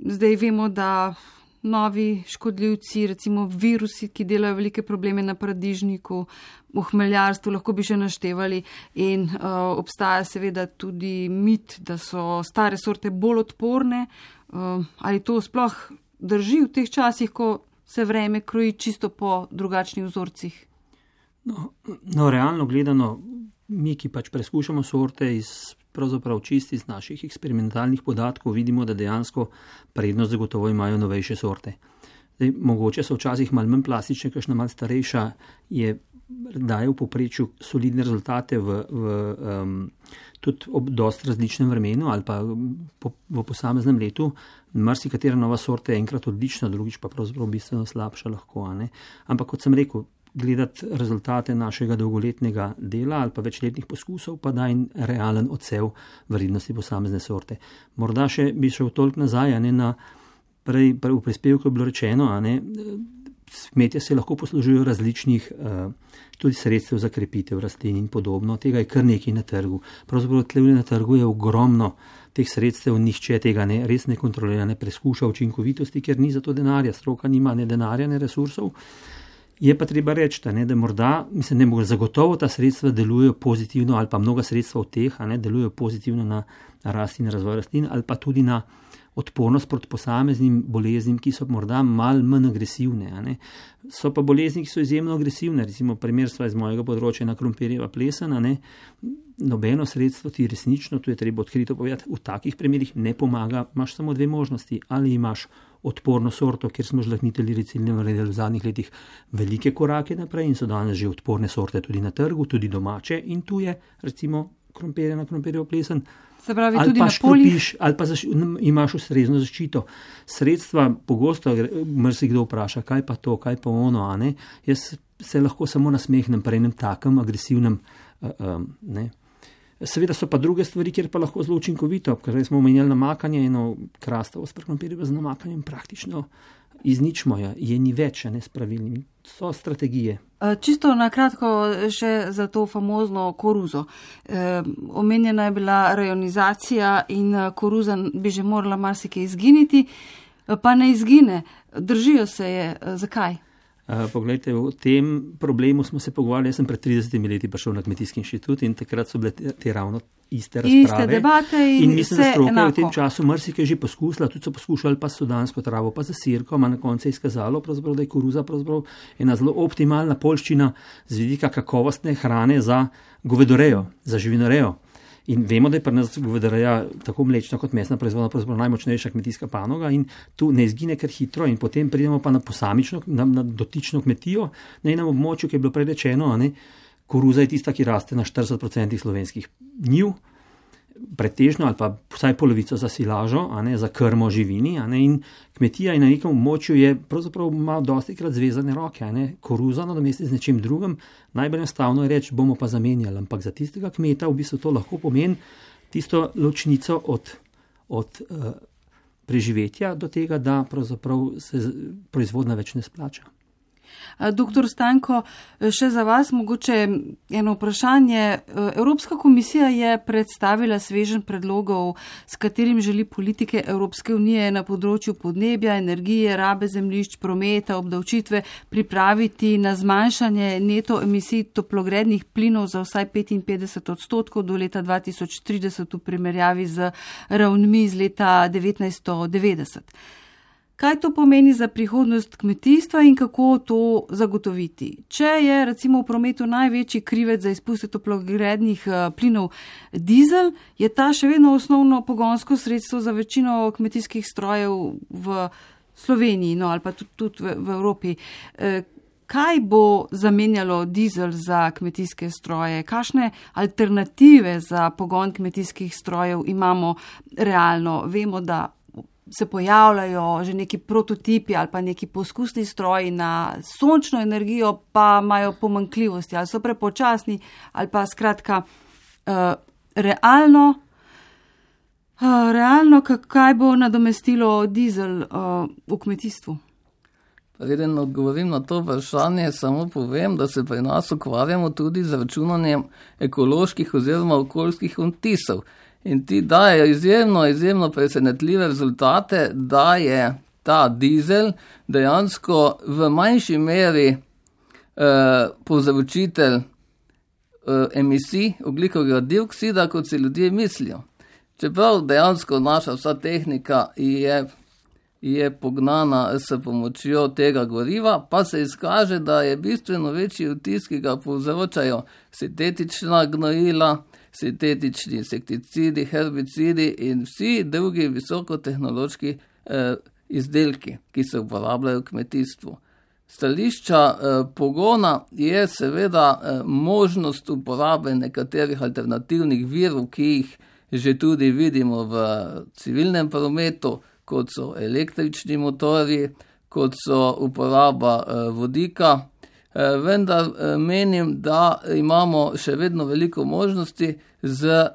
Zdaj vemo, da novi škodljivci, recimo virusi, ki delajo velike probleme na paradižniku, v hmeljarstvu, lahko bi še naštevali in uh, obstaja seveda tudi mit, da so stare sorte bolj odporne. Uh, ali to sploh drži v teh časih, ko se vreme kroji čisto po drugačnih vzorcih? No, no realno gledano, mi, ki pač preskušamo sorte iz pravzaprav čisti iz naših eksperimentalnih podatkov, vidimo, da dejansko prednost zagotovo imajo novejše sorte. Zdaj, mogoče so včasih malo manj plastične, kakšna malo starejša je daje v poprečju solidne rezultate v, v, um, tudi ob dost različnem vremenu ali pa po, v posameznem letu. Marsikatera nova sorta je enkrat odlična, drugič pa pravzaprav bistveno slabša lahko. A ne? Ampak kot sem rekel, gledati rezultate našega dolgoletnega dela ali pa večletnih poskusov pa da in realen odsev vrednosti posamezne sorte. Morda še bi šel toliko nazaj, a ne na prej, prej v prispevku je bilo rečeno, a ne, kmetje se lahko poslužujejo različnih uh, tudi sredstev za krepitev rastlin in podobno. Tega je kar nekaj na trgu. Pravzaprav tlevle na trgu je ogromno teh sredstev, nihče tega ne, res ne kontrolira, ne preskuša učinkovitosti, ker ni za to denarja, stroka nima ne denarja, ne resursov. Je pa treba reči, da, ne, da morda, mislim, ne mogo, zagotovo ta sredstva delujejo pozitivno ali pa mnoga sredstva od teh, a ne, delujejo pozitivno na rast in razvoj rastlin ali pa tudi na odpornost proti posameznim boleznim, ki so morda malo manj agresivne. A ne. So pa bolezni, ki so izjemno agresivne, recimo primer sva iz mojega področja na krompirjeva plesena, ne, nobeno sredstvo ti resnično, tu je treba odkrito povedati, v takih primerih ne pomaga, imaš samo dve možnosti, ali imaš odporno sorto, kjer smo žlahtnitelji recimo naredili v zadnjih letih velike korake naprej in so danes že odporne sorte tudi na trgu, tudi domače in tu je recimo krompirje na krompirjevo plesen. Se pravi, ali tudi pa na poljih. Škropiš, ali pa zaš, imaš ustrezno zaščito. Sredstva, pogosto marsikdo vpraša, kaj pa to, kaj pa ono, a ne? Jaz se lahko samo nasmehnem pri enem takem agresivnem, uh, um, ne. Seveda so pa druge stvari, kjer pa lahko zelo učinkovito, ker smo omenjali namakanje, eno krastavo s krompirjem z namakanjem praktično izničimo, je, je ni več, ne s pravilnimi. So strategije. Čisto na kratko še za to famozno koruzo. E, omenjena je bila rajonizacija in koruza bi že morala marsikaj izginiti, pa ne izgine. Držijo se je. Zakaj? Uh, poglejte, o tem problemu smo se pogovarjali, jaz sem pred tridesetimi leti prišel na Kmetijski inštitut in takrat so bile te, te ravno iste razprave. Iste debate in, in mislim, da stroka enako. je v tem času marsikaj že poskusila, tudi so poskušali pa sudansko travo, pa za sirko, a na koncu je izkazalo, da je koruza ena zelo optimalna poljščina z vidika kakovostne hrane za govedorejo, za živinorejo. In vemo, da je pri nas govedoreja tako mlečna kot mesna proizvodnja pravzaprav najmočnejša kmetijska panoga in tu ne izgine kar hitro in potem pridemo pa na posamično, na, na dotično kmetijo, na enem območju, ki je bilo prerečeno, a ne, koruza je tista, ki raste na štirideset odstotkov slovenskih njiv, pretežno ali pa vsaj polovico za silažo, a ne, za krmo živini, a ne, in kmetija in na nekem območju je pravzaprav ima dosti krat zvezane roke, a ne, koruza nadomesti z nečim drugim, najbolj enostavno je reči, bomo pa zamenjali, ampak za tistega kmeta v bistvu to lahko pomeni tisto ločnico od, od uh, preživetja do tega, da pravzaprav se proizvodnja več ne splača. Doktor Stanko, še za vas mogoče eno vprašanje. Evropska komisija je predstavila sveženj predlogov, s katerim želi politike Evropske unije na področju podnebja, energije, rabe zemljišč, prometa, obdavčitve pripraviti na zmanjšanje neto emisij toplogrednih plinov za vsaj petinpetdeset odstotkov do leta dva tisoč trideset v primerjavi z ravnmi iz leta devetnajststo devetdeset. Kaj to pomeni za prihodnost kmetijstva in kako to zagotoviti? Če je recimo v prometu največji krivec za izpuste toplogrednih plinov dizel, je ta še vedno osnovno pogonsko sredstvo za večino kmetijskih strojev v Sloveniji, no, ali pa tudi, tudi v, v Evropi. Kaj bo zamenjalo dizel za kmetijske stroje? Kakšne alternative za pogon kmetijskih strojev imamo realno? Vemo, da se pojavljajo že neki prototipi ali pa neki poskusni stroji na sončno energijo, pa imajo pomanjkljivosti, ali so prepočasni, ali pa skratka uh, realno, uh, realno kaj bo nadomestilo dizel uh, v kmetijstvu? Preden odgovorim na to vprašanje, samo povem, da se pri nas ukvarjamo tudi z računanjem ekoloških oziroma okoljskih odtisov. In ti dajo izjemno, izjemno presenetljive rezultate, da je ta dizel dejansko v manjši meri eh, povzročitelj eh, emisij ogljikovega dioksida, kot si ljudje mislijo. Čeprav dejansko naša vsa tehnika je, je pognana s pomočjo tega goriva, pa se izkaže, da je bistveno večji vtis, ki ga povzročajo sintetična gnojila, sintetični insekticidi, herbicidi in vsi drugi visokotehnološki eh, izdelki, ki se uporabljajo v kmetijstvu. Stališča eh, pogona je seveda eh, možnost uporabe nekaterih alternativnih virov, ki jih že tudi vidimo v civilnem prometu, kot so električni motorji, kot so uporaba eh, vodika. Vendar menim, da imamo še vedno veliko možnosti z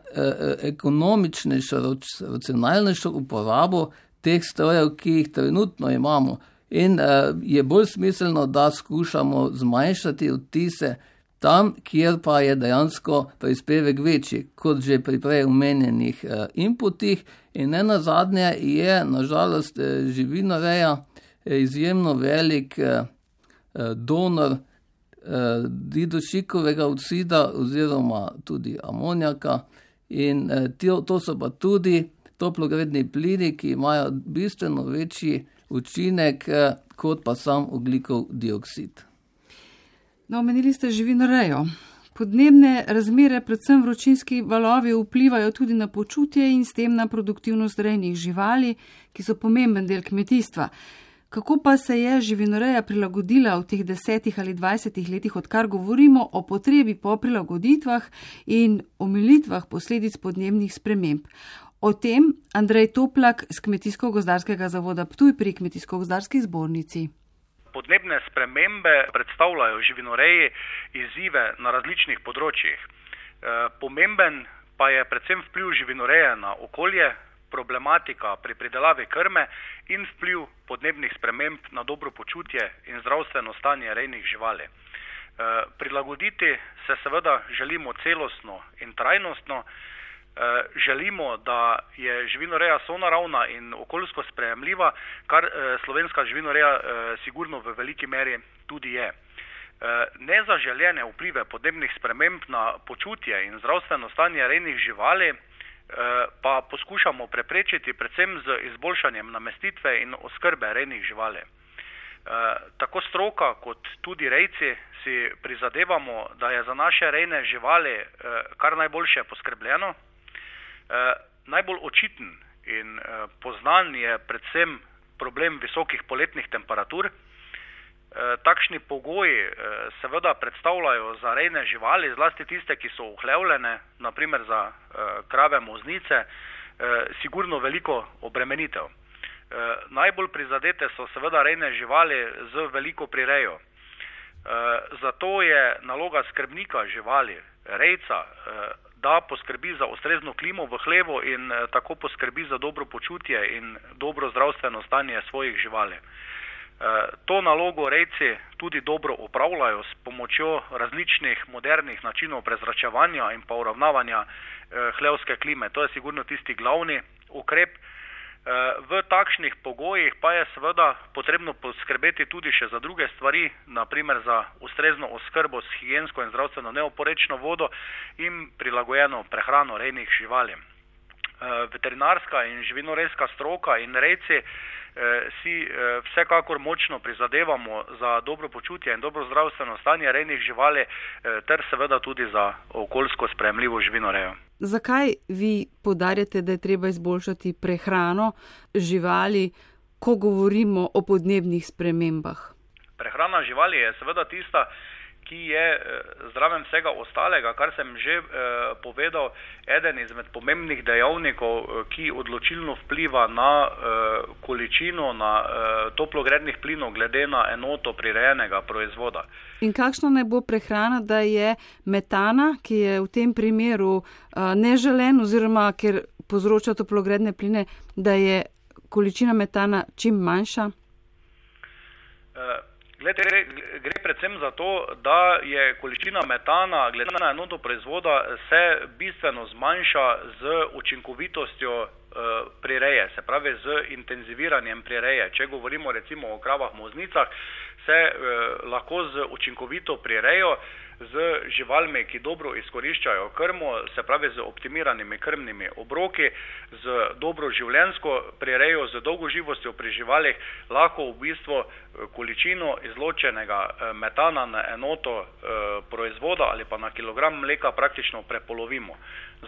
ekonomičnejšo, racionalnejšo uporabo teh strojev, ki jih trenutno imamo. In je bolj smiselno, da skušamo zmanjšati odtise tam, kjer pa je dejansko prispevek večji, kot že pri prej omenjenih inputih. In ne nazadnje je nažalost živinoreja izjemno velik donor eh, didušikovega oksida oziroma tudi amonijaka in eh, to, to so pa tudi toplogredni plini, ki imajo bistveno večji učinek kot pa sam ogljikov dioksid. No, omenili ste živinorejo. Podnebne razmere, predvsem vročinski valovi, vplivajo tudi na počutje in s tem na produktivnost rejnih živali, ki so pomemben del kmetijstva. Kako pa se je živinoreja prilagodila v teh desetih ali dvajsetih letih, odkar govorimo o potrebi po prilagoditvah in omilitvah posledic podnebnih sprememb? O tem Andrej Toplak z Kmetijsko-gozdarskega zavoda Ptuj pri Kmetijsko-gozdarski zbornici. Podnebne spremembe predstavljajo živinoreji izzive na različnih področjih. Pomemben pa je predvsem vpliv živinoreje na okolje, problematika pri pridelavi krme in vpliv podnebnih sprememb na dobro počutje in zdravstveno stanje rejnih živali. Prilagoditi se seveda želimo celostno in trajnostno. Želimo, da je živinoreja sonaravna in okoljsko sprejemljiva, kar slovenska živinoreja sigurno v veliki meri tudi je. Nezaželjene vplive podnebnih sprememb na počutje in zdravstveno stanje rejnih živali pa poskušamo preprečiti predvsem z izboljšanjem namestitve in oskrbe rejnih živali. Tako stroka kot tudi rejci si prizadevamo, da je za naše rejne živali kar najboljše poskrbljeno. Najbolj očiten in poznan je predvsem problem visokih poletnih temperatur. Takšni pogoji seveda predstavljajo za rejne živali, zlasti tiste, ki so uhlevljene, naprimer za krave moznice, sigurno veliko obremenitev. Najbolj prizadete so seveda rejne živali z veliko prirejo. Zato je naloga skrbnika živali, rejca, da poskrbi za ustrezno klimo v hlevu in tako poskrbi za dobro počutje in dobro zdravstveno stanje svojih živali. To nalogo rejci tudi dobro opravljajo s pomočjo različnih modernih načinov prezračevanja in pa uravnavanja hlevske klime. To je sigurno tisti glavni ukrep. V takšnih pogojih pa je seveda potrebno poskrbeti tudi še za druge stvari, naprimer za ustrezno oskrbo s higiensko in zdravstveno neoporečno vodo in prilagojeno prehrano rejnih živali. Veterinarska in živinorejska stroka in rejci si vsekakor močno prizadevamo za dobro počutje in dobro zdravstveno stanje rejnih živali ter seveda tudi za okoljsko sprejemljivo živinorejo. Zakaj vi poudarjate, da je treba izboljšati prehrano živali, ko govorimo o podnebnih spremembah? Prehrana živali je seveda tista, ki je zraven vsega ostalega, kar sem že eh, povedal, eden izmed pomembnih dejavnikov, ki odločilno vpliva na eh, količino, na eh, toplogrednih plinov glede na enoto prirejenega proizvoda. In kakšna naj bo prehrana, da je metana, ki je v tem primeru eh, neželen oziroma ker povzroča toplogredne pline, da je količina metana čim manjša? Eh, Glede, gre, gre predvsem za to, da je količina metana glede na enoto proizvoda se bistveno zmanjša z učinkovitostjo e, prireje, se pravi z intenziviranjem prireje. Če govorimo recimo o kravah moznicah, se e, lahko z učinkovito prirejo, z živalmi, ki dobro izkoriščajo krmo, se pravi z optimiranimi krmnimi obroki, z dobro življenjsko prirejo, z dolgoživostjo pri živalih, lahko v bistvu količino izločenega metana na enoto proizvoda ali pa na kilogram mleka praktično prepolovimo.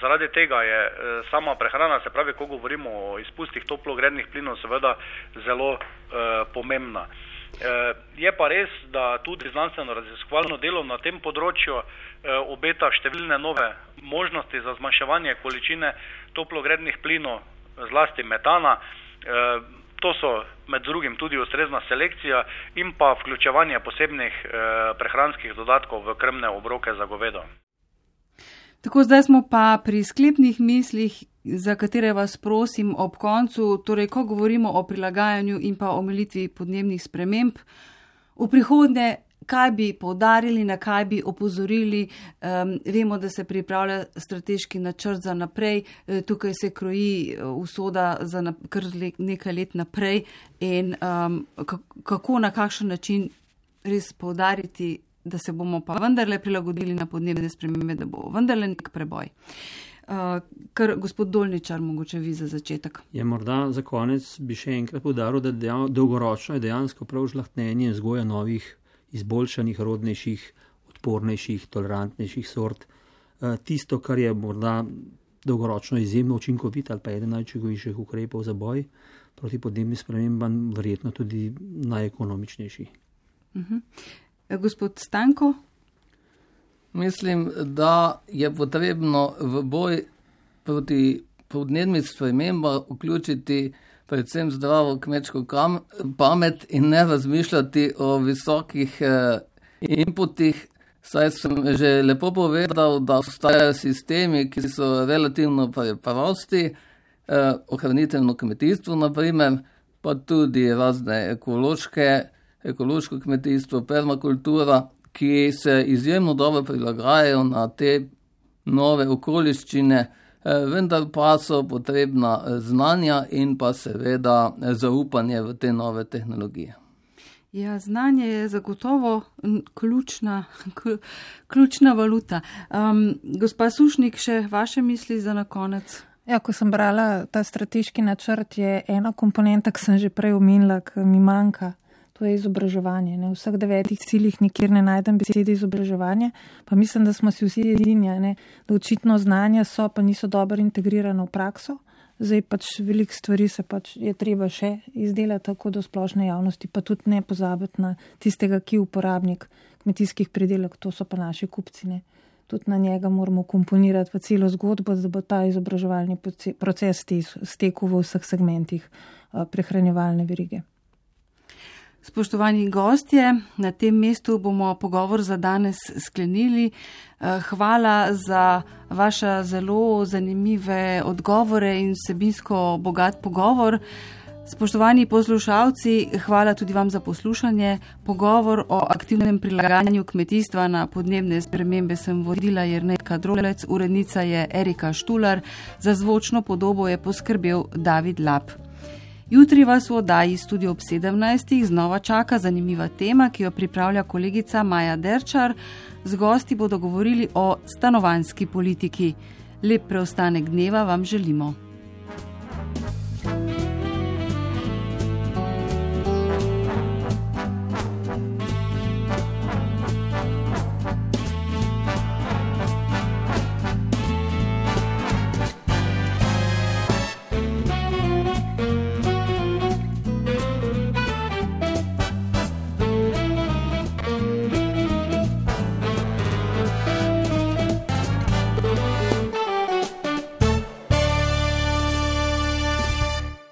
Zaradi tega je sama prehrana, se pravi, ko govorimo o izpustih toplogrednih plinov, seveda zelo eh, pomembna. Je pa res, da tudi znanstveno raziskovalno delo na tem področju obeta številne nove možnosti za zmanjševanje količine toplogrednih plinov, zlasti metana. To so med drugim tudi ustrezna selekcija in pa vključevanje posebnih prehranskih dodatkov v krmne obroke za govedo. Tako, zdaj smo pa pri sklepnih mislih, za katere vas prosim ob koncu, torej ko govorimo o prilagajanju in pa omilitvi podnebnih sprememb, v prihodnje, kaj bi poudarili, na kaj bi opozorili, um, vemo, da se pripravlja strateški načrt za naprej, tukaj se kroji usoda za na, kar nekaj let naprej in um, kako, na kakšen način res poudariti, da se bomo pa vendarle prilagodili na podnebne spremembe, da bo vendarle nek preboj. Uh, kar gospod Dolničar, mogoče vi za začetek. Je morda za konec bi še enkrat poudaril, da dejav, dolgoročno je dejansko prav žlahtnjenje in vzgoja novih, izboljšanih, rodnejših, odpornejših, tolerantnejših sort. Uh, tisto, kar je morda dolgoročno izjemno učinkovit ali pa eden najčinkovitejših ukrepov za boj proti podnebnim spremembam, verjetno tudi najekonomičnejši. Uh-huh. Gospod Stanko? Mislim, da je potrebno v boj proti podnebnim spremembam vključiti predvsem zdravo kmečko kam, pamet in ne razmišljati o visokih eh, inputih. Saj sem že lepo povedal, da obstajajo sistemi, ki so relativno preprosti, eh, ohranitveno kmetijstvo naprimer, pa tudi razne ekološke, ekološko kmetijstvo, permakultura, ki se izjemno dobro prilagajajo na te nove okoliščine, vendar pa so potrebna znanja in pa seveda zaupanje v te nove tehnologije. Ja, znanje je zagotovo ključna, ključna valuta. Um, gospa Sušnik, še vaše misli za na konec? Ja, ko sem brala ta strateški načrt, je ena komponenta, ki sem že prej omenila, ki mi manjka. To je izobraževanje. Ne? V vseh devetih ciljih nikjer ne najdem besede izobraževanje, pa mislim, da smo si vsi edini, ne? Da očitno znanja so, pa niso dobro integrirane v prakso. Zdaj pač veliko stvari se pač je treba še izdelati tako do splošne javnosti, pa tudi ne pozabiti na tistega, ki je uporabnik kmetijskih pridelek, to so pa naši kupci. Ne? Tudi na njega moramo komponirati v celo zgodbo, da bo ta izobraževalni proces stekel v vseh segmentih prehranjevalne verige. Spoštovani gostje, na tem mestu bomo pogovor za danes sklenili. Hvala za vaša zelo zanimive odgovore in vsebinsko bogat pogovor. Spoštovani poslušalci, hvala tudi vam za poslušanje. Pogovor o aktivnem prilagajanju kmetijstva na podnebne spremembe sem vodila Jernetka Drolec, urednica je Erika Štular, za zvočno podobo je poskrbel David Lap. Jutri vas v oddaji Studio ob sedemnajstih znova čaka zanimiva tema, ki jo pripravlja kolegica Maja Derčar. Z gosti bodo govorili o stanovanjski politiki. Lep preostanek dneva vam želimo.